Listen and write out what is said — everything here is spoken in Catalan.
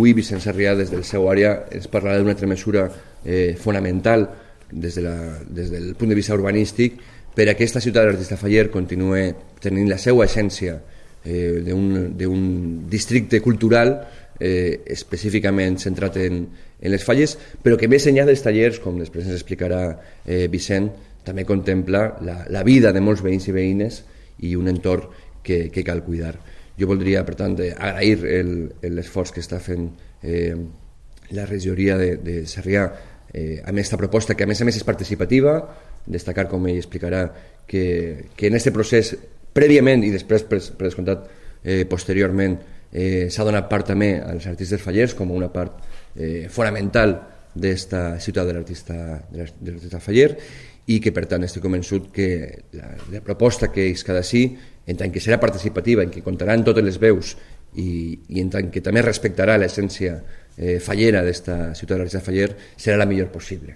avui Vicent Sarrià des del seu àrea ens parlarà d'una altra mesura fonamental des del punt de vista urbanístic per a aquesta ciutat de l'artista Faller continua tenint la seva essència d'un districte cultural específicament centrat en les falles, però que més enllà dels tallers, com després ens explicarà Vicent, també contempla la vida de molts veïns i veïnes i un entorn que cal cuidar. Jo voldria, per tant, agrair l'esforç que està fent la regidoria de Sarrià amb aquesta proposta, que a més és participativa, destacar, com ell explicarà, que en aquest procés, prèviament i després, per descomptat, posteriorment, s'ha donat part també als artistes fallers com una part fonamental d'esta ciutat de l'artista Faller, i que per tant estic convençut que la proposta que és cada sí, en tant que serà participativa, en què comptaran totes les veus i en tant que també respectarà l'essència fallera d'esta ciutat de l'artista Faller, serà la millor possible.